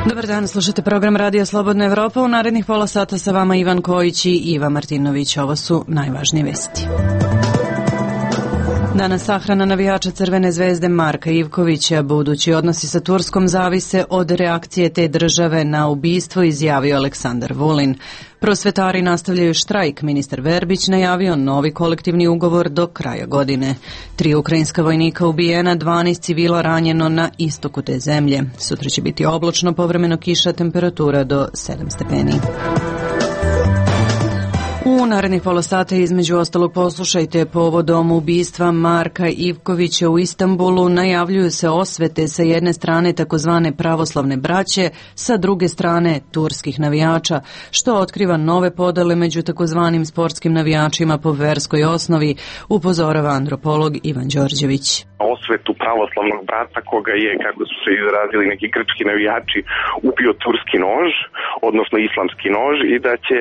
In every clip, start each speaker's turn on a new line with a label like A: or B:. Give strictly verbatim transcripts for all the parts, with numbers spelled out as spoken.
A: Dobar dan, slušate program Radija Slobodna Evropa. U narednih pola sata sa vama Ivan Kojić i Iva Martinović. Ovo su najvažnije vesti. Danas sahrana navijača Crvene zvezde Marka Ivkovića. Budući odnosi sa Turskom zavise od reakcije te države na ubistvo, izjavio Aleksandar Vulin. Prosvetari nastavljaju štrajk. Ministar Verbić najavio novi kolektivni ugovor do kraja godine. Tri ukrajinska vojnika ubijena, dvanaest civila ranjeno na istoku te zemlje. Sutra će biti oblačno, povremeno kiša, temperatura do sedam stepeni. U narednih pola sata između ostalog poslušajte povodom ubistva Marka Ivkovića u Istanbulu. Najavljuju se osvete sa jedne strane takozvane pravoslavne braće, sa druge strane turskih navijača, što otkriva nove podele među takozvanim sportskim navijačima po verskoj osnovi, upozorava antropolog Ivan Đorđević.
B: Osvetu pravoslavnog brata koga je, kako su se izrazili neki grčki navijači, ubio turski nož, odnosno islamski nož, i da će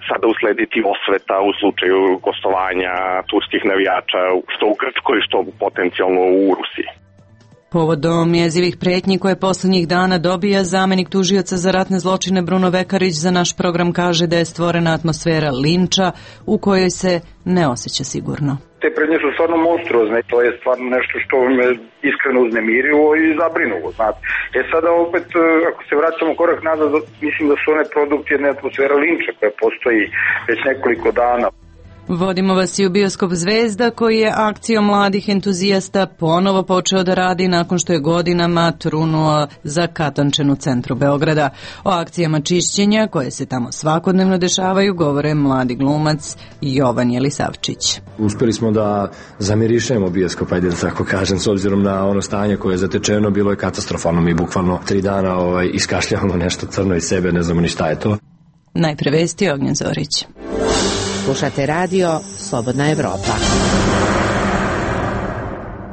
B: sada uslediti osveta u slučaju gostovanja turskih navijača što u Grčkoj, što potencijalno u Rusiji.
A: Povodom jezivih pretnji koje poslednjih dana dobija zamenik tužioca za ratne zločine Bruno Vekarić, za naš program kaže da je stvorena atmosfera linča u kojoj se ne osjeća sigurno.
C: Te pretnje su stvarno monstruozne, to je stvarno nešto što me iskreno uznemirilo i zabrinulo, znate. E sada opet, ako se vraćamo korak nazad, mislim da su one produkt jedne atmosfere linča koja postoji već nekoliko dana.
A: Vodimo vas i u bioskop Zvezda, koji je akcijom mladih entuzijasta ponovo počeo da radi nakon što je godinama trunuo za katančen u centru Beograda. O akcijama čišćenja koje se tamo svakodnevno dešavaju govore mladi glumac Jovan Jelisavčić.
D: Uspeli smo da zamirišemo bioskop, ajde da tako kažem, s obzirom na ono stanje koje je zatečeno, bilo je katastrofalno. Mi bukvalno tri dana ovaj, iskašljavamo nešto crno iz sebe, ne znamo ni šta je to.
A: Najpre vesti, Ognjen Zorić.
E: Slušate radio Slobodna Evropa.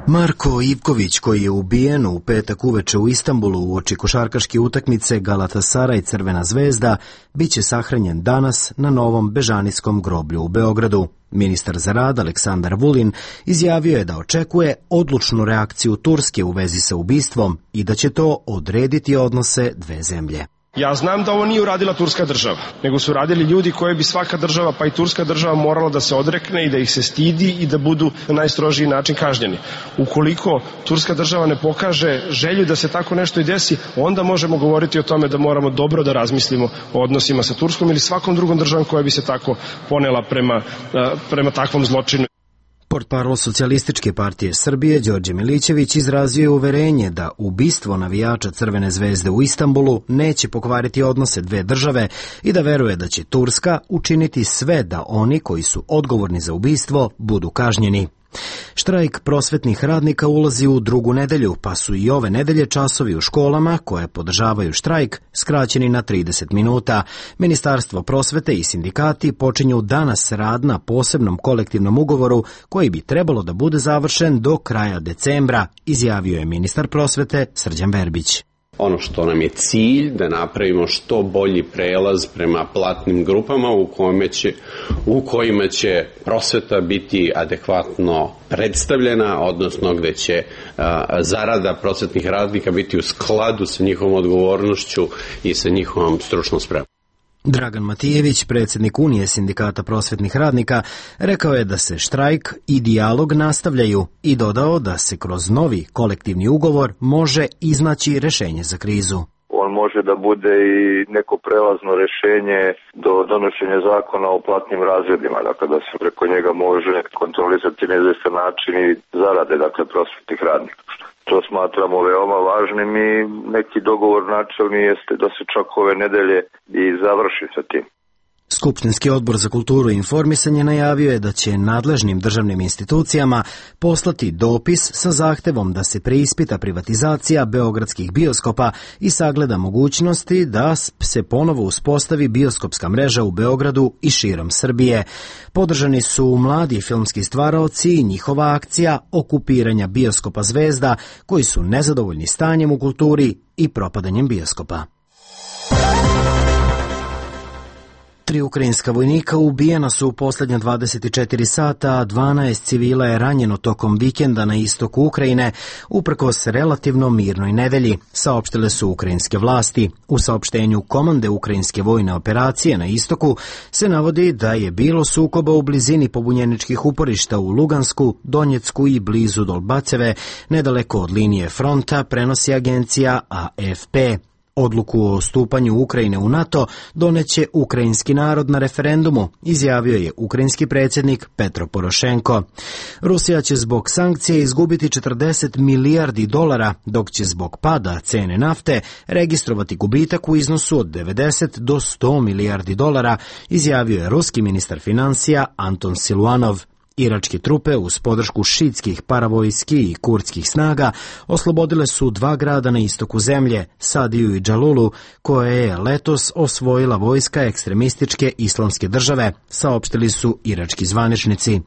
F: Marko Ivković, koji je ubijen u petak uveče u Istanbulu uoči košarkaške utakmice Galatasaray Crvena zvezda, biće sahranjen danas na novom Bežanijskom groblju u Beogradu. Ministar za rad Aleksandar Vulin izjavio je da očekuje odlučnu reakciju Turske u vezi sa ubistvom i da će to odrediti odnose dve zemlje.
G: Ja znam da ovo nije uradila turska država, nego su radili ljudi koje bi svaka država, pa i turska država, morala da se odrekne i da ih se stidi i da budu na najstrožiji način kažnjeni. Ukoliko turska država ne pokaže želju da se tako nešto i desi, onda možemo govoriti o tome da moramo dobro da razmislimo o odnosima sa Turskom ili svakom drugom državom koja bi se tako ponela prema, prema takvom zločinu.
F: Portparol Socijalističke partije Srbije Đorđe Milićević izrazio je uverenje da ubistvo navijača Crvene zvezde u Istanbulu neće pokvariti odnose dve države i da veruje da će Turska učiniti sve da oni koji su odgovorni za ubistvo budu kažnjeni. Štrajk prosvetnih radnika ulazi u drugu nedelju, pa su i ove nedelje časovi u školama koje podržavaju štrajk skraćeni na trideset minuta. Ministarstvo prosvete i sindikati počinju danas rad na posebnom kolektivnom ugovoru koji bi trebalo da bude završen do kraja decembra, izjavio je ministar prosvete Srđan Verbić.
H: Ono što nam je cilj, da napravimo što bolji prelaz prema platnim grupama u kojima će, u kojima će prosveta biti adekvatno predstavljena, odnosno gde će a, zarada prosvetnih radnika biti u skladu sa njihovom odgovornošću i sa njihovom stručnom spremom.
F: Dragan Matijević, predsjednik Unije sindikata prosvetnih radnika, rekao je da se štrajk i dijalog nastavljaju i dodao da se kroz novi kolektivni ugovor može iznaći rešenje za krizu.
C: On može da bude i neko prelazno rešenje do donošenja zakona o platnim razredima, dakle da se preko njega može kontrolisati na izvestan način i zarade, dakle, prosvetnih radnika. To smatramo veoma važnim i neki dogovor načelni jeste da se čak ove nedelje i završi sa tim.
F: Skupštinski odbor za kulturu i informisanje najavio je da će nadležnim državnim institucijama poslati dopis sa zahtevom da se preispita privatizacija beogradskih bioskopa i sagleda mogućnosti da se ponovo uspostavi bioskopska mreža u Beogradu i širom Srbije. Podržani su mladi filmski stvaraoci i njihova akcija okupiranja bioskopa Zvezda, koji su nezadovoljni stanjem u kulturi i propadanjem bioskopa. Tri ukrajinska vojnika ubijena su u posljednja dvadeset četiri sata, a dvanaest civila je ranjeno tokom vikenda na istoku Ukrajine, uprkos relativno mirnoj nedelji, saopštile su ukrajinske vlasti. U saopštenju Komande ukrajinske vojne operacije na istoku se navodi da je bilo sukoba u blizini pobunjeničkih uporišta u Lugansku, Donjecku i blizu Dolbaceve, nedaleko od linije fronta, prenosi agencija A F P. Odluku o stupanju Ukrajine u NATO doneće ukrajinski narod na referendumu, izjavio je ukrajinski predsjednik Petro Porošenko. Rusija će zbog sankcije izgubiti četrdeset milijardi dolara, dok će zbog pada cene nafte registrovati gubitak u iznosu od devedeset do sto milijardi dolara, izjavio je ruski ministar financija Anton Siluanov. Iračke trupe uz podršku šiitskih paravojski i kurdskih snaga oslobodile su dva grada na istoku zemlje, Sadiju i Džalulu, koje je letos osvojila vojska ekstremističke islamske države, saopštili su irački zvaničnici.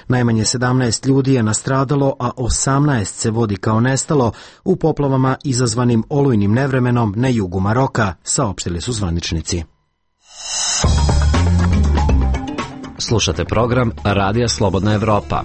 F: Najmanje sedamnaest ljudi je nastradalo, a osamnaest se vodi kao nestalo u poplavama izazvanim olujnim nevremenom na jugu Maroka, saopštili su zvaničnici.
I: Slušate program Radija Slobodna Evropa.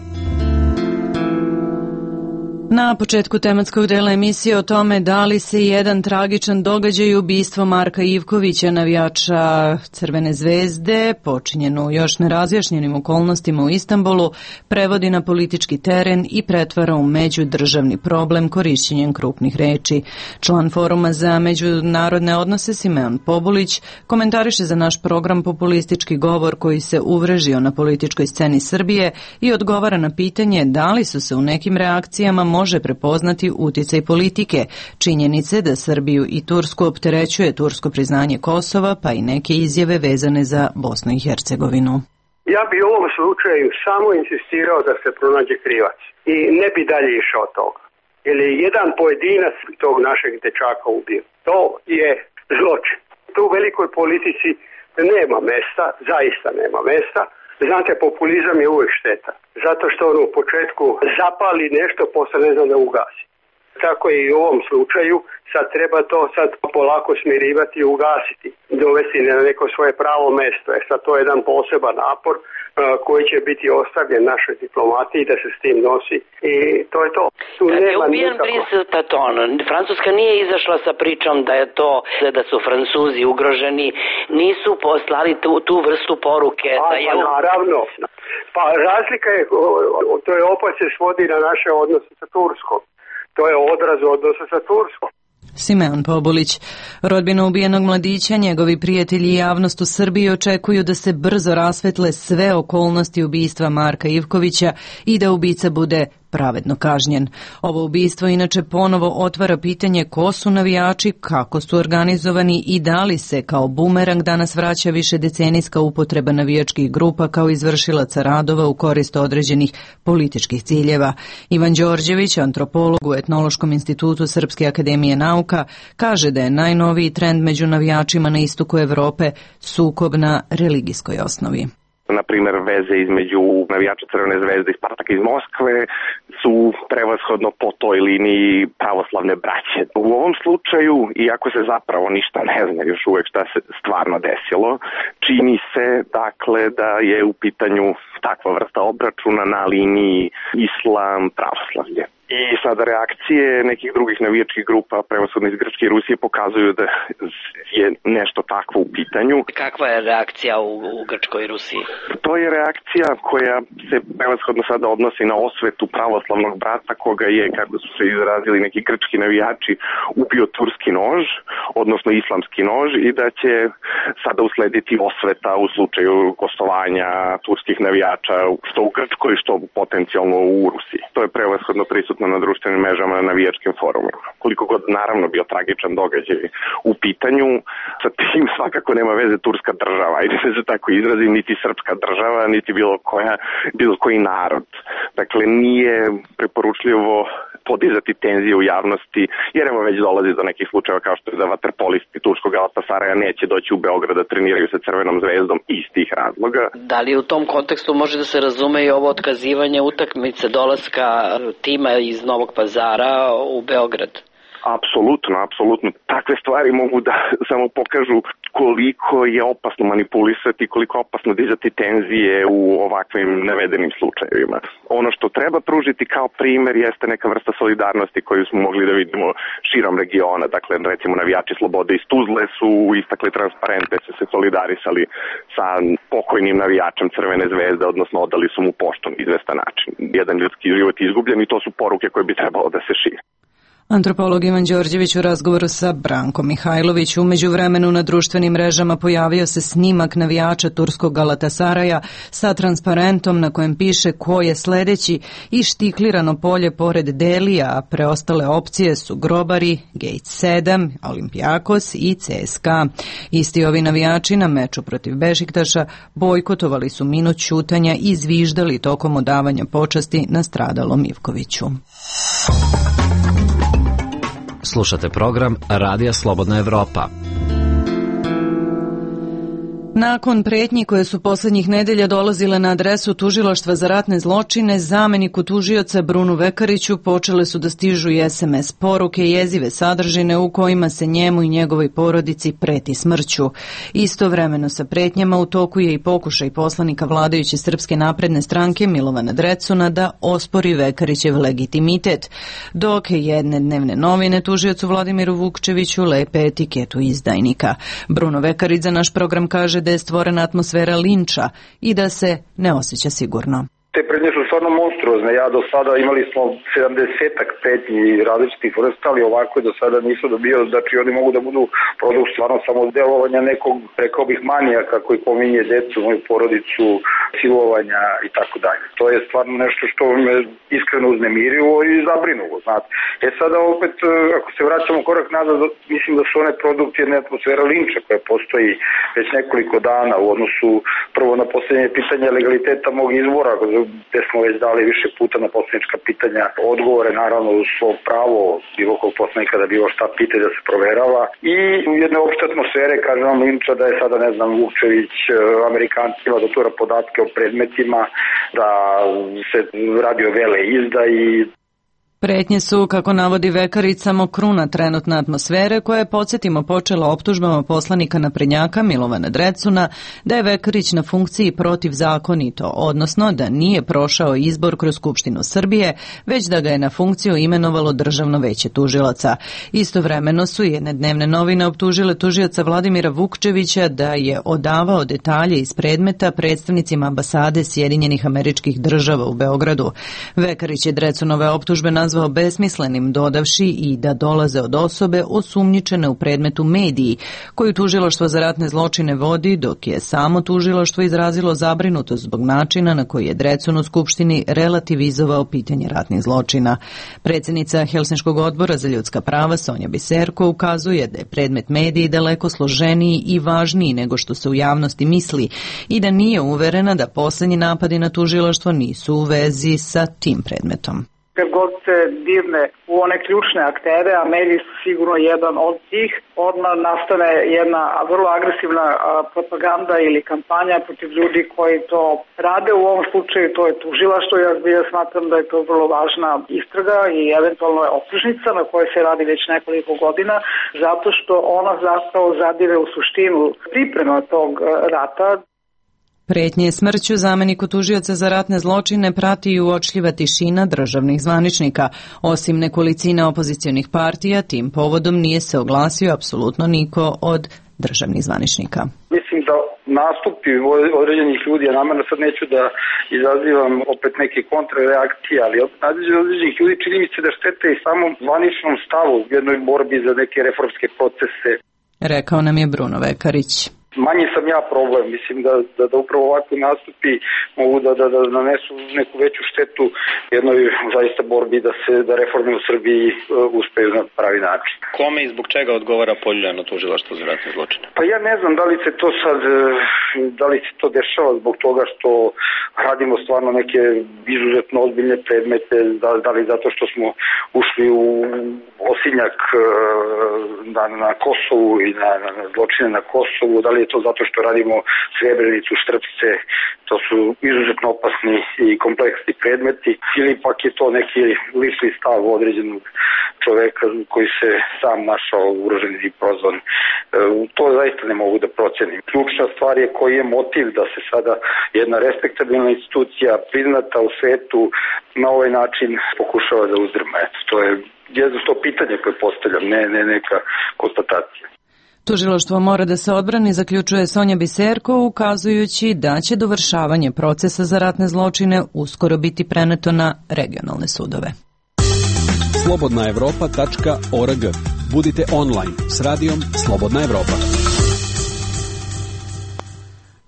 A: Na početku tematskog dela emisije o tome da li se jedan tragičan događaj, ubistvo Marka Ivkovića, navijača Crvene zvezde, počinjeno u još nerazjašnjenim okolnostima u Istanbulu, prevodi na politički teren i pretvara u međudržavni problem korišćenjem krupnih reči. Član Foruma za međunarodne odnose Simeon Pobulić komentariše za naš program populistički govor koji se uvrežio na političkoj sceni Srbije i odgovara na pitanje da li su se u nekim reakcijama može prepoznati uticaj politike, činjenice da Srbiju i Tursku opterećuje tursko priznanje Kosova, pa i neke izjave vezane za Bosnu i Hercegovinu.
J: Ja bi u ovom slučaju samo insistirao da se pronađe krivac i ne bi dalje išao toga. Jer je jedan pojedinac tog našeg dečaka ubio. To je zločin. Tu u velikoj politici nema mesta, zaista nema mesta. Znate, populizam je uvijek šteta. Zato što on u početku zapali nešto, posle ne zna da ugasi. Tako je i u ovom slučaju. Sad treba to sad polako smirivati i ugasiti. Dovesti na neko svoje pravo mesto. E sad to je jedan poseban napor koji će biti ostavljen našoj diplomatiji da se s tim nosi i to je to. Tu
K: Kad
J: nema
K: je ubijen
J: nikako.
K: Brice Patton, Francuska nije izašla sa pričom da je to, da su Francuzi ugroženi, nisu poslali tu, tu vrstu poruke.
J: A,
K: da je...
J: pa naravno. Pa razlika je, to je opet se svodi na naše odnose sa Turskom. To je odraz odnosa sa Turskom.
A: Simeon Pobulić. Rodbina ubijenog mladića, njegovi prijatelji i javnost u Srbiji očekuju da se brzo rasvetle sve okolnosti ubistva Marka Ivkovića i da ubica bude pravedno kažnjen. Ovo ubistvo inače ponovo otvara pitanje ko su navijači, kako su organizovani i da li se kao bumerang danas vraća više decenijska upotreba navijačkih grupa kao izvršilaca radova u korist određenih političkih ciljeva. Ivan Đorđević, antropolog u Etnološkom institutu Srpske akademije nauka, kaže da je najnoviji trend među navijačima na istoku Evrope sukob na religijskoj osnovi.
B: Na primjer, veze između navijača Crvene zvezde i Spartaka iz Moskve su prevashodno po toj liniji pravoslavne braće. U ovom slučaju, iako se zapravo ništa ne zna još uvek šta se stvarno desilo, čini se dakle da je u pitanju takva vrsta obračuna na liniji islam pravoslavlje. I sada reakcije nekih drugih navijačkih grupa, prevashodno iz Grčke i Rusije, pokazuju da je nešto takvo u pitanju.
K: Kakva je reakcija u, u Grčkoj i Rusiji?
B: To je reakcija koja se prevashodno sada odnosi na osvetu pravoslavnog brata koga je, kako su se izrazili neki grčki navijači, ubio turski nož, odnosno islamski nož, i da će sada uslediti osveta u slučaju gostovanja turskih navijača što u Grčkoj, što potencijalno u Rusiji. To je prevashodno prisutno na društvenim mrežama, na navijačkim forumima. Koliko god naravno bio tragičan događaj u pitanju, sa tim svakako nema veze turska država, i da se tako izrazim, niti srpska država, niti bilo koja, bilo koji narod. Dakle, nije preporučljivo podizati tenzije u javnosti, jer evo već dolazi do nekih slučajeva kao što je da vaterpolisti turskog Galatasaraja neće doći u Beograd da treniraju sa Crvenom zvezdom iz tih razloga.
K: Da li u tom kontekstu može da se razume i ovo otkazivanje utakmice dolaska tima iz Novog Pazara u Beograd?
B: Apsolutno, apsolutno. Takve stvari mogu da samo pokažu koliko je opasno manipulisati, koliko je opasno dizati tenzije u ovakvim navedenim slučajevima. Ono što treba pružiti kao primer jeste neka vrsta solidarnosti koju smo mogli da vidimo širom regiona. Dakle, recimo navijači Slobode iz Tuzle su istakli transparente, su se solidarisali sa pokojnim navijačem Crvene zvezde, odnosno odali su mu poštu na izvestan način. Jedan ljudski život je izgubljen i to su poruke koje bi trebalo da se šire.
A: Antropolog Ivan Đorđević u razgovoru sa Brankom Mihajlović. U međuvremenu na društvenim mrežama pojavio se snimak navijača turskog Galatasaraja sa transparentom na kojem piše ko je sledeći i štiklirano polje pored Delija, a preostale opcije su Grobari, Gate sedam, Olimpijakos i C S K A. Isti ovi navijači na meču protiv Bešiktaša bojkotovali su minut ćutanja i zviždali tokom odavanja počasti nastradalom Ivkoviću.
I: Slušate program Radija Slobodna Evropa.
A: Nakon pretnji koje su poslednjih nedelja dolazile na adresu Tužilaštva za ratne zločine, zameniku tužioca Brunu Vekariću počele su da stižu i es em es poruke jezive sadržine u kojima se njemu i njegovoj porodici preti smrću. Istovremeno sa pretnjama u toku je i pokušaj poslanika vladajuće Srpske napredne stranke Milovana Drecuna da ospori Vekarićev legitimitet, dok jedne dnevne novine tužiocu Vladimiru Vukčeviću lepe etiketu izdajnika. Bruno Vekarić za naš program kaže da je stvorena atmosfera linča i da se ne osjeća sigurno.
L: Te prednje su stvarno monstruozne. Ja do sada imali smo sedamdesetak pretnji različitih vrsta, ali ovako do sada nisu dobio, znači oni mogu da budu produkt stvarno samo delovanja nekog, rekao bih, manijaka koji pominje decu, moju porodicu, silovanja i tako dalje. To je stvarno nešto što me iskreno uznemirilo i zabrinulo, znate. E sada opet, ako se vraćamo korak nazad, mislim da su one produkt jedne atmosfera linča koja postoji već nekoliko dana u odnosu prvo na posljednje pitanje legaliteta mog izbora, gde smo već dali više puta na poslanička pitanja odgovore, naravno uz svo pravo bilo kog poslanika da bilo šta pita da se proverava, i u jedne opšte atmosfere, kažem vam, linča da je sada, ne znam, Vukčević Amerikancima da tura podatke o predmetima, da se radi o vele izdaji.
A: Pretnje su, kako navodi Vekarić, samo kruna trenutne atmosfere koja je, podsjetimo, počela optužbama poslanika naprednjaka Milovana Drecuna da je Vekarić na funkciji protivzakonito, odnosno da nije prošao izbor kroz Skupštinu Srbije, već da ga je na funkciju imenovalo Državno veće tužilaca. Istovremeno su jedne dnevne novine optužile tužioca Vladimira Vukčevića da je odavao detalje iz predmeta predstavnicima ambasade Sjedinjenih Američkih Država u Beogradu. Vekarić je Drecunove optužbe nazvao besmislenim, dodavši i da dolaze od osobe osumnjičene u predmetu mediji, koju tužilaštvo za ratne zločine vodi, dok je samo tužilaštvo izrazilo zabrinutost zbog načina na koji je Drecun u Skupštini relativizovao pitanje ratnih zločina. Predsjednica Helsinškog odbora za ljudska prava Sonja Biserko ukazuje da je predmet mediji daleko složeniji i važniji nego što se u javnosti misli i da nije uverena da poslednji napadi na tužilaštvo nisu u vezi sa tim predmetom.
M: Kad god se dirne u one ključne aktere, a mediji su sigurno jedan od tih, odmah nastane jedna vrlo agresivna propaganda ili kampanja protiv ljudi koji to rade. U ovom slučaju to je tužilaštvo. Ja, ja smatram da je to vrlo važna istraga i eventualno je optužnica na kojoj se radi već nekoliko godina, zato što ona zapravo zadire u suštinu priprema tog rata.
A: Pretnje smrću zameniku tužioca za ratne zločine prati i uočljiva tišina državnih zvaničnika. Osim nekolicine opozicionih partija, tim povodom nije se oglasio apsolutno niko od državnih zvaničnika.
L: Mislim da nastupi određenih ljudi, ja namerno sad neću da izazivam opet neke kontrareakcije, ali određenih ljudi čini mi se da štete i samom zvaničnom stavu u jednoj borbi za neke reformske procese.
A: Rekao nam je Bruno Vekarić.
L: Manji sam ja problem, mislim da, da, da upravo ovakvi nastupi mogu da, da, da nanesu neku veću štetu jednoj zaista borbi da se da reforme u Srbiji uh, uspeju na pravi način.
N: Kome i zbog čega odgovara poljuljano tužilaštvo za ratne zločine?
L: Pa ja ne znam da li se to sad, da li se to dešava zbog toga što radimo stvarno neke izuzetno ozbiljne predmete, da, da li zato što smo ušli u osinjak uh, na, na Kosovu i na, na zločine na Kosovu, da li Da li je to zato što radimo Srebrenicu, Štrpce, to su izuzetno opasni i kompleksni predmeti, ili pak je to neki lični stav određenog čoveka koji se sam našao ugrožen i prozvan. To zaista ne mogu da procenim. Ključna stvar je koji je motiv da se sada jedna respektabilna institucija priznata u svetu na ovaj način pokušava da uzdrma. Eto, to je jedno to pitanje koje postavljam, ne, ne neka konstatacija.
A: Tužilaštvo mora da se odbrani, zaključuje Sonja Biserko, ukazujući da će dovršavanje procesa za ratne zločine uskoro biti preneto na regionalne sudove.
O: slobodna evropa tačka org. Budite online s radijom Slobodna Evropa.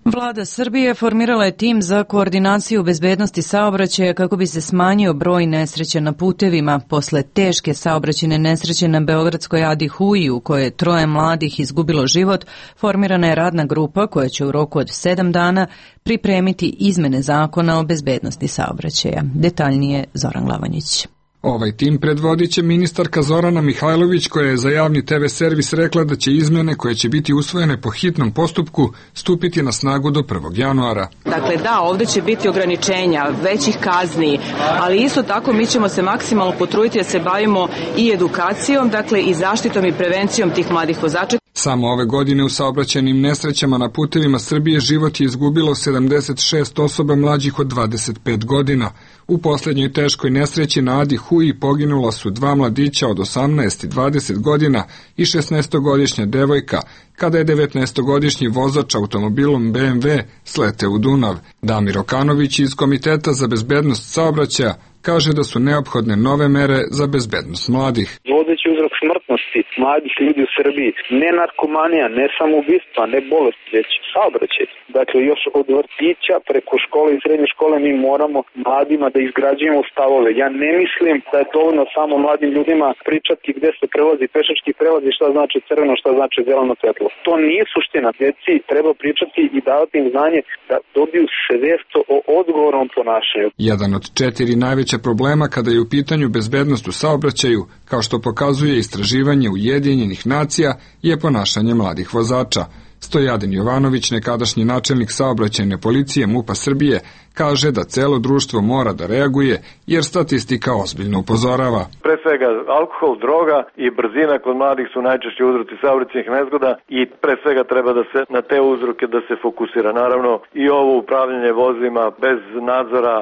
A: Vlada Srbije formirala je tim za koordinaciju bezbednosti saobraćaja kako bi se smanjio broj nesreća na putevima. Posle teške saobraćajne nesreće na Beogradskoj Adi Huji u kojoj je troje mladih izgubilo život, formirana je radna grupa koja će u roku od sedam dana pripremiti izmene zakona o bezbednosti saobraćaja. Detaljnije Zoran Lavanjić.
P: Ovaj tim predvodit će ministarka Zorana Mihajlović, koja je za javni te ve servis rekla da će izmene koje će biti usvojene po hitnom postupku stupiti na snagu do prvog januara.
Q: Dakle, da, ovde će biti ograničenja, većih kazni, ali isto tako mi ćemo se maksimalno potruditi da se bavimo i edukacijom, dakle i zaštitom i prevencijom tih mladih vozača.
P: Samo ove godine u saobraćajnim nesrećama na putevima Srbije život je izgubilo sedamdeset šest osoba mlađih od dvadeset pet godina. U poslednjoj teškoj nesreći na Adi Huji poginula su dva mladića od osamnaest i dvadeset godina i šesnaestogodišnja devojka, kada je devetnaestogodišnji vozač automobilom be em ve sleteo u Dunav. Damir Okanović iz Komiteta za bezbednost saobraćaja kaže da su neophodne nove mere za bezbednost mladih.
R: Vodeći uzrok smrtnosti mladih ljudi u Srbiji, ne narkomanija, ne samoubistva, ne bolest, već saobraćaj. Dakle, još od vrtića preko škole i srednje škole mi moramo mladima da izgrađujemo stavove. Ja ne mislim da je dovoljno samo mladim ljudima pričati gde se prelazi pešački prelaz i šta znači crveno, šta znači zeleno svetlo. To nije suština. Djeci treba pričati i davati im znanje da dobiju svest o odgovornom ponašanju.
P: Jedan od četiri najveća problema kada je u pitanju bezbednost u saobraćaju, kao što pokazuje istraživanje Ujedinjenih nacija, je ponašanje mladih vozača. Stojadin Jovanović, nekadašnji načelnik saobraćajne policije MUP-a Srbije, kaže da celo društvo mora da reaguje jer statistika ozbiljno upozorava.
S: Pre svega alkohol, droga i brzina kod mladih su najčešći uzroci saobraćajnih nezgoda i pre svega treba da se na te uzroke da se fokusira. Naravno i ovo upravljanje vozilima bez nadzora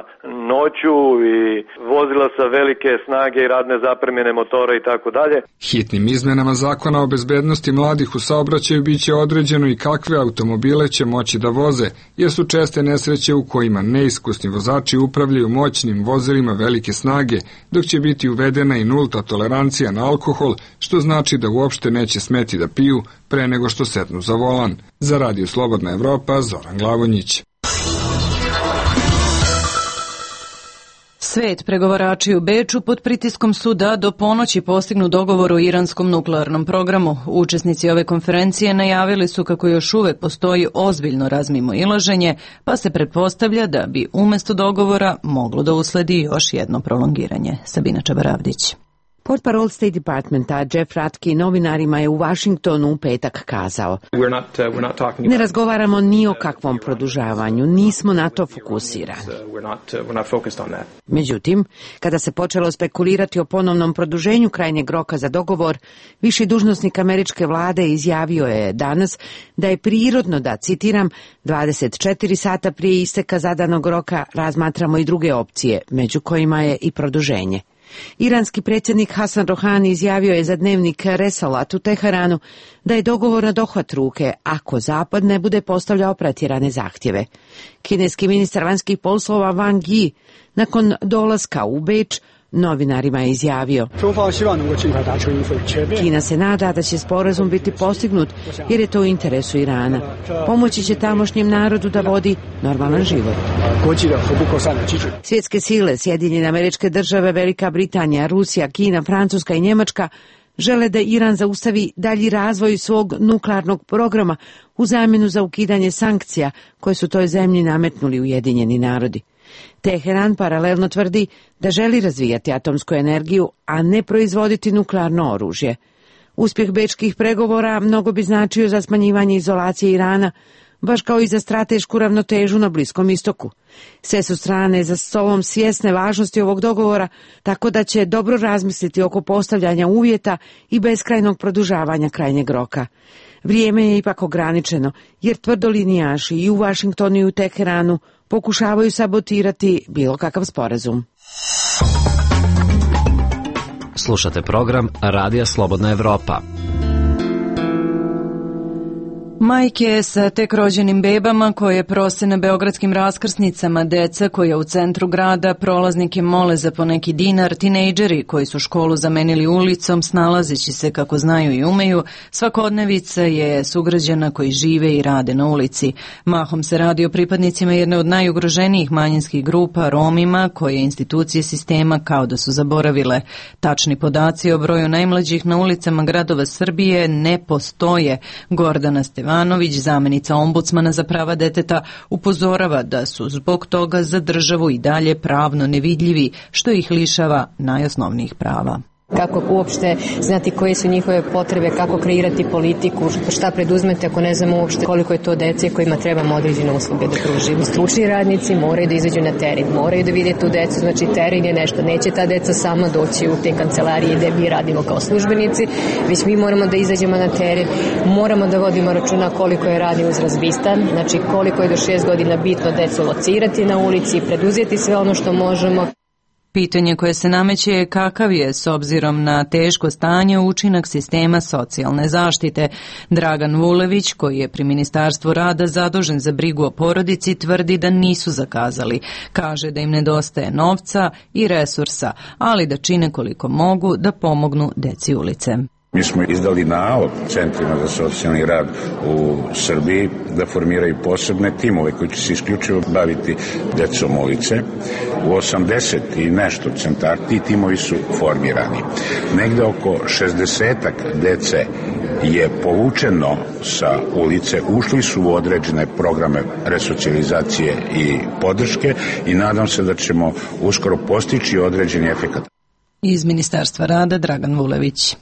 S: noću i vozila sa velike snage i radne zapremine motora i tako dalje.
P: Hitnim izmenama zakona o bezbednosti mladih u saobraćaju biće određeno i kakve automobile će moći da voze, jer su česte nesreće u kojima neiskusni vozači upravljaju moćnim vozilima velike snage, dok će biti uvedena i nulta tolerancija na alkohol, što znači da uopšte neće smeti da piju pre nego što sednu za volan. Za Radio Slobodna Evropa, Zoran Glavonjić.
A: Svet pregovarači u Beču pod pritiskom su da do ponoći postignu dogovor o iranskom nuklearnom programu. Učesnici ove konferencije najavili su kako još uvek postoji ozbiljno razmimoilaženje, pa se pretpostavlja da bi umesto dogovora moglo da usledi još jedno prolongiranje. Sabina Čabaravdić.
E: Portparol State Departmenta Jeff Ratke novinarima je u Vašingtonu u petak kazao: Ne razgovaramo ni o kakvom produžavanju, nismo na to fokusirani. Međutim, kada se počelo spekulirati o ponovnom produženju krajnjeg roka za dogovor, viši dužnosnik američke vlade izjavio je danas da je prirodno da, citiram, dvadeset četiri sata prije isteka zadanog roka razmatramo i druge opcije, među kojima je i produženje. Iranski predsjednik Hasan Rohani izjavio je za dnevnik Resalat u Teheranu da je dogovor na dohvat ruke ako Zapad ne bude postavljao pretjerane zahtjeve. Kineski ministar vanjskih poslova Wang Yi nakon dolaska u Beč novinarima je izjavio: Kina se nada da će sporazum biti postignut jer je to u interesu Irana. Pomoći će tamošnjem narodu da vodi normalan život. Svjetske sile, Sjedinjene Američke Države, Velika Britanija, Rusija, Kina, Francuska i Njemačka žele da Iran zaustavi dalji razvoj svog nuklearnog programa u zamjenu za ukidanje sankcija koje su toj zemlji nametnuli Ujedinjeni narodi. Teheran paralelno tvrdi da želi razvijati atomsku energiju, a ne proizvoditi nuklearno oružje. Uspjeh bečkih pregovora mnogo bi značio za smanjivanje izolacije Irana, baš kao i za stratešku ravnotežu na Bliskom istoku. Sve su strane za stolom svjesne važnosti ovog dogovora, tako da će dobro razmisliti oko postavljanja uvjeta i beskrajnog produžavanja krajnjeg roka. Vrijeme je ipak ograničeno, jer tvrdolinijaši i u Vašingtonu i u Teheranu pokušavaju sabotirati bilo kakav sporazum.
I: Slušate program Radija Slobodna Evropa.
A: Majke sa tek rođenim bebama koje prose na beogradskim raskrsnicama, deca koja u centru grada prolaznike mole za poneki dinar, tinejdžeri koji su školu zamenili ulicom snalazeći se kako znaju i umeju, svakodnevica je sugrađana koji žive i rade na ulici. Mahom se radi o pripadnicima jedne od najugroženijih manjinskih grupa, Romima, koje institucije sistema kao da su zaboravile. Tačni podaci o broju najmlađih na ulicama gradova Srbije ne postoje. Gordana Stevanović, zamenica ombudsmana za prava deteta, upozorava da su zbog toga za državu i dalje pravno nevidljivi, što ih lišava najosnovnijih prava.
T: Kako uopšte znati koje su njihove potrebe, kako kreirati politiku, šta preduzmete ako ne znamo uopšte koliko je to dece kojima trebamo određene usluge da pružimo. Stručni radnici moraju da izađu na teren, moraju da vide tu decu, znači teren je nešto, neće ta deca sama doći u te kancelarije gde mi radimo kao službenici, već mi moramo da izađemo na teren, moramo da vodimo računa koliko je radni uzrast bistan, znači koliko je do šest godina bitno decu locirati na ulici, preduzeti sve ono što možemo.
A: Pitanje koje se nameće je kakav je, s obzirom na teško stanje, učinak sistema socijalne zaštite. Dragan Vulević, koji je pri Ministarstvu rada zadužen za brigu o porodici, tvrdi da nisu zakazali. Kaže da im nedostaje novca i resursa, ali da čine koliko mogu da pomognu deci ulice.
U: Mi smo izdali nalog centrima za socijalni rad u Srbiji da formiraju posebne timove koji će se isključivo baviti decom ulice. U osamdeset i nešto centar ti timovi su formirani. Negde oko šezdesetak dece je povučeno sa ulice, ušli su u određene programe resocijalizacije i podrške i nadam se da ćemo uskoro postići određeni efekat.
A: Iz Ministarstva rada Dragan Vulević.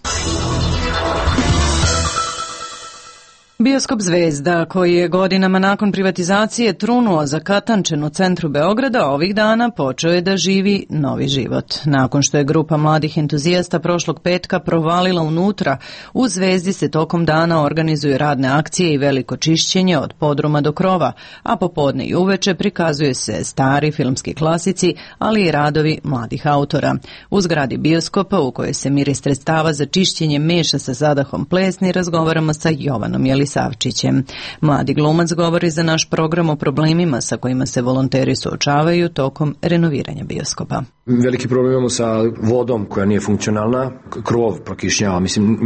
A: Bioskop Zvezda, koji je godinama nakon privatizacije trunuo zakatančen u centru Beograda, ovih dana počeo je da živi novi život. Nakon što je grupa mladih entuzijasta prošlog petka provalila unutra, u Zvezdi se tokom dana organizuju radne akcije i veliko čišćenje od podruma do krova, a popodne i uveče prikazuje se stari filmski klasici, ali i radovi mladih autora. U zgradi bioskopa, u kojoj se miris sredstava za čišćenje meša sa zadahom plesni, razgovaramo sa Jovanom Jelisavčićem. Savčićem. Mladi glumac govori za naš program o problemima sa kojima se volonteri suočavaju tokom renoviranja bioskopa.
D: Veliki problem imamo sa vodom koja nije funkcionalna, krov prokišnjava. Mislim,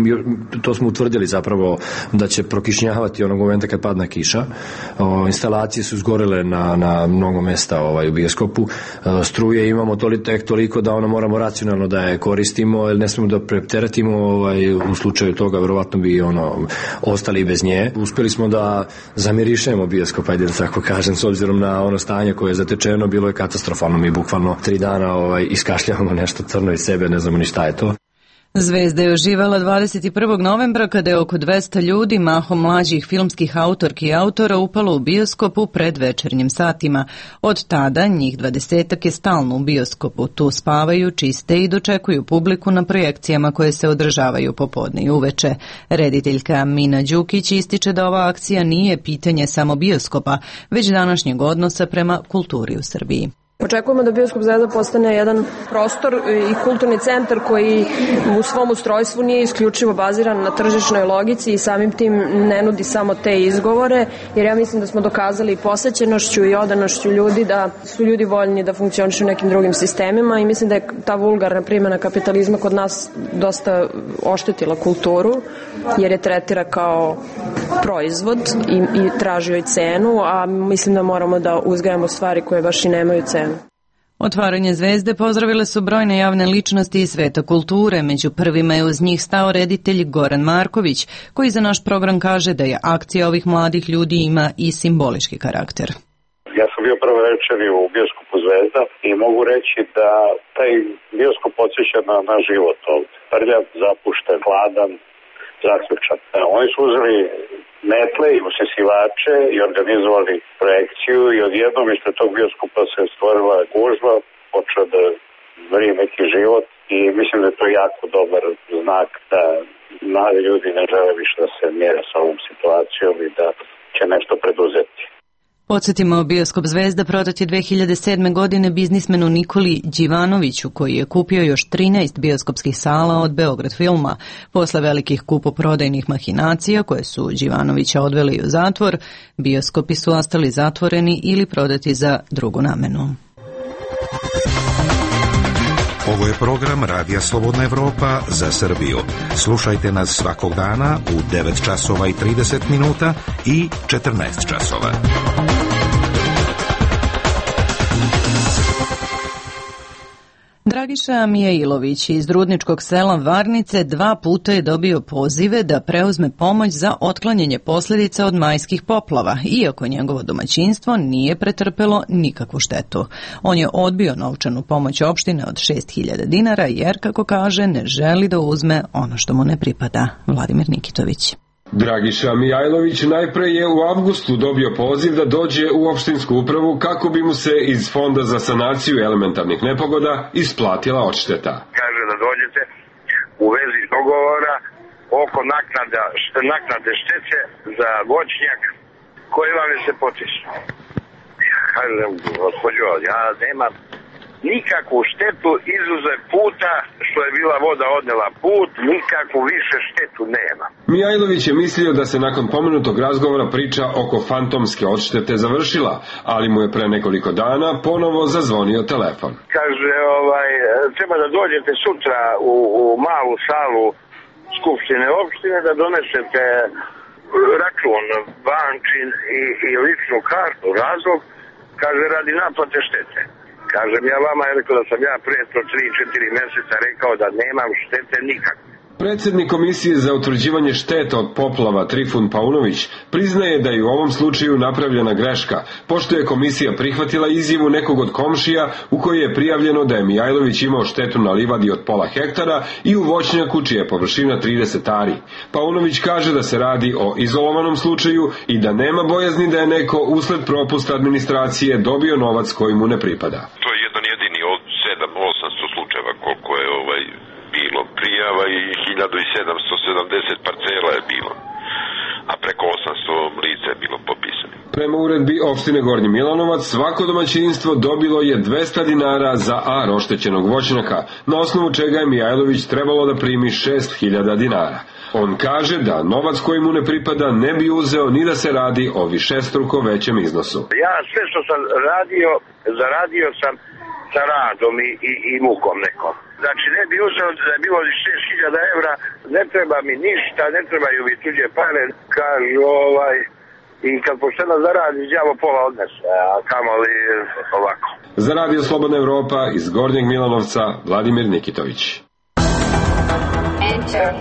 D: to smo utvrdili zapravo da će prokišnjavati onog momenta kad padne kiša. O, instalacije su zgorele na, na mnogo mesta ovaj, u bioskopu. O, struje imamo toli, tek toliko da ono moramo racionalno da je koristimo, jer ne smemo da preteretimo ovaj, u slučaju toga, verovatno bi ono, ostali bez nje. Uspeli smo da zamirišemo bioskop, ajde da tako kažem, s obzirom na ono stanje koje je zatečeno, bilo je katastrofalno. Mi bukvalno tri dana ovaj, iskašljavamo nešto crno iz sebe, ne znamo ni šta je to.
A: Zvezda je oživala dvadeset prvog novembra kada je oko dvesta ljudi, mahom mlađih filmskih autorki i autora, upalo u bioskop u predvečernjim satima. Od tada njih dvadesetak je stalno u bioskopu. Tu spavaju, čiste i dočekuju publiku na projekcijama koje se održavaju popodne i uveče. Rediteljka Mina Đukić ističe da ova akcija nije pitanje samo bioskopa, već današnjeg odnosa prema kulturi u Srbiji.
V: Očekujemo da Bioskop Zvezda postane jedan prostor i kulturni centar koji u svom ustrojstvu nije isključivo baziran na tržišnoj logici i samim tim ne nudi samo te izgovore, jer ja mislim da smo dokazali posećenošću i odanošću ljudi da su ljudi voljni da funkcionišu u nekim drugim sistemima i mislim da je ta vulgarna primjena kapitalizma kod nas dosta oštetila kulturu, jer je tretira kao proizvod i, i traži joj cenu, a mislim da moramo da uzgajamo stvari koje baš i nemaju cenu.
A: Otvaranje Zvezde pozdravile su brojne javne ličnosti iz sveta kulture. Među prvima je uz njih stao reditelj Goran Marković, koji za naš program kaže da je akcija ovih mladih ljudi ima i simbolički karakter.
W: Ja sam bio prvo večeri u bioskopu Zvezda i mogu reći da taj bioskop podsjeća na, na život ovdje. Prljav, zapušten, hladan, zaključak. Oni su uzeli metle i usisivače i organizovali projekciju i odjednom ispred tog bioskopa se stvorila gužva, počeo da vrije neki život i mislim da je to jako dobar znak da mladi ljudi ne žele više da se mjere sa ovom situacijom i da će nešto preduzeti.
A: Podsjetimo, bioskop Zvezda prodat je dve hiljade sedme. godine biznismenu Nikoli Đivanoviću, koji je kupio još trinaest bioskopskih sala od Beograd filma. Posle velikih kupoprodajnih mahinacija koje su Đivanovića odveli u zatvor, bioskopi su ostali zatvoreni ili prodati za drugu namenu.
C: Ovo je program Radija Slobodna Evropa za Srbiju. Slušajte nas svakog dana u devet časova i trideset minuta i četrnaest časova.
A: Dragiša Mijailović iz Rudničkog sela Varnice dva puta je dobio pozive da preuzme pomoć za otklanjanje posljedica od majskih poplava, iako njegovo domaćinstvo nije pretrpelo nikakvu štetu. On je odbio novčanu pomoć opštine od šest hiljada dinara jer, kako kaže, ne želi da uzme ono što mu ne pripada. Vladimir Nikitović.
G: Dragiša Mijailović najpre je u avgustu dobio poziv da dođe u opštinsku upravu kako bi mu se iz Fonda za sanaciju elementarnih nepogoda isplatila odšteta.
H: Kaže da dođete u vezi dogovora oko naknada, naknade štete za voćnjak koji vam je se potisnuo. Kažem, gospođo, ja nemam nikakvu štetu izuzev puta što je bila voda odnela put, nikakvu više štetu nema.
G: Mijailović je mislio da se nakon pomenutog razgovora priča oko fantomske odštete završila, ali mu je pre nekoliko dana ponovo zazvonio telefon.
H: Kaže, ovaj, treba da dođete sutra u, u malu salu Skupštine opštine da donesete račun bančin i, i ličnu kartu, razlog, kaže, radi naplate štete. Kažem ja vama, je rekao da sam ja prije to tri četiri mjeseca rekao da nemam štete nikakve.
G: Predsjednik Komisije za utvrđivanje šteta od poplava Trifun Paunović priznaje da je u ovom slučaju napravljena greška, pošto je komisija prihvatila izjavu nekog od komšija u kojoj je prijavljeno da je Mijailović imao štetu na livadi od pola hektara i u voćnjaku čija je površina trideset ari. Paunović kaže da se radi o izolovanom slučaju i da nema bojazni da je neko usled propusta administracije dobio novac koji mu ne pripada.
X: To je jedan jedini od sedam osamsto slučajeva koliko je ovaj bilo prijava i hiljadu sedamsto sedamdeset parcela je bilo, a preko osamsto lica je bilo popisano.
G: Prema uredbi opštine Gornji Milanovac, svako domaćinstvo dobilo je dvesta dinara za ar oštećenog voćnjaka, na osnovu čega je Mijailović trebalo da primi šest hiljada dinara. On kaže da novac koji mu ne pripada ne bi uzeo ni da se radi o višestruko većem iznosu.
H: Ja sve što sam radio, zaradio sam sa radom i, i, i mukom nekom. Znači ne bi uzeo da je bilo šest hiljada evra, ne treba mi ništa, ne trebaju mi tuđe pare, kažu ovaj, i kad pošteno zaradi, đavo pola odnese, a kamoli ovako.
G: Za Radio Slobodna Evropa iz Gornjeg Milanovca, Vladimir Nikitović.
C: Enter.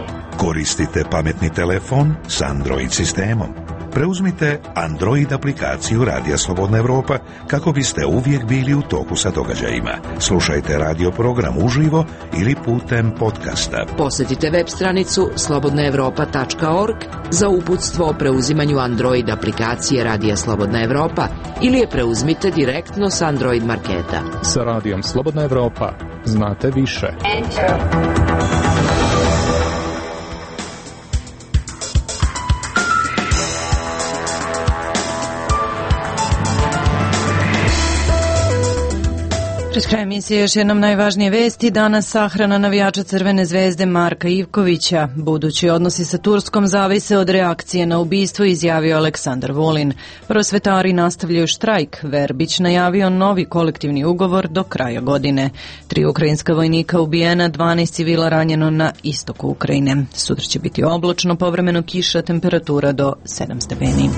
C: Koristite pametni telefon s Android sistemom. Preuzmite Android aplikaciju Radija Slobodna Evropa kako biste uvijek bili u toku sa događajima. Slušajte radio program uživo ili putem podcasta.
E: Posjetite web stranicu slobodna evropa tačka org za uputstvo o preuzimanju Android aplikacije Radija Slobodna Evropa ili je preuzmite direktno s Android marketa.
Y: Sa Radijom Slobodna Evropa znate više.
E: Enter.
A: Pred kraj emisije još jednom najvažnije vesti. Danas sahrana navijača Crvene zvezde Marka Ivkovića. Budući odnosi sa Turskom zavise od reakcije na ubistvo, izjavio Aleksandar Vulin. Prosvetari nastavljaju štrajk. Verbić najavio novi kolektivni ugovor do kraja godine. Tri ukrajinska vojnika ubijena, dvanaest civila ranjeno na istoku Ukrajine. Sutra će biti oblačno, povremeno kiša, temperatura do sedam stepeni.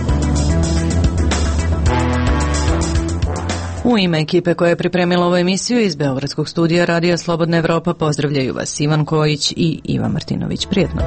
A: U ime ekipe koja je pripremila ovu emisiju iz Beogradskog studija Radija Slobodna Evropa pozdravljaju vas Ivan Kojić i Ivan Martinović. Prijetno.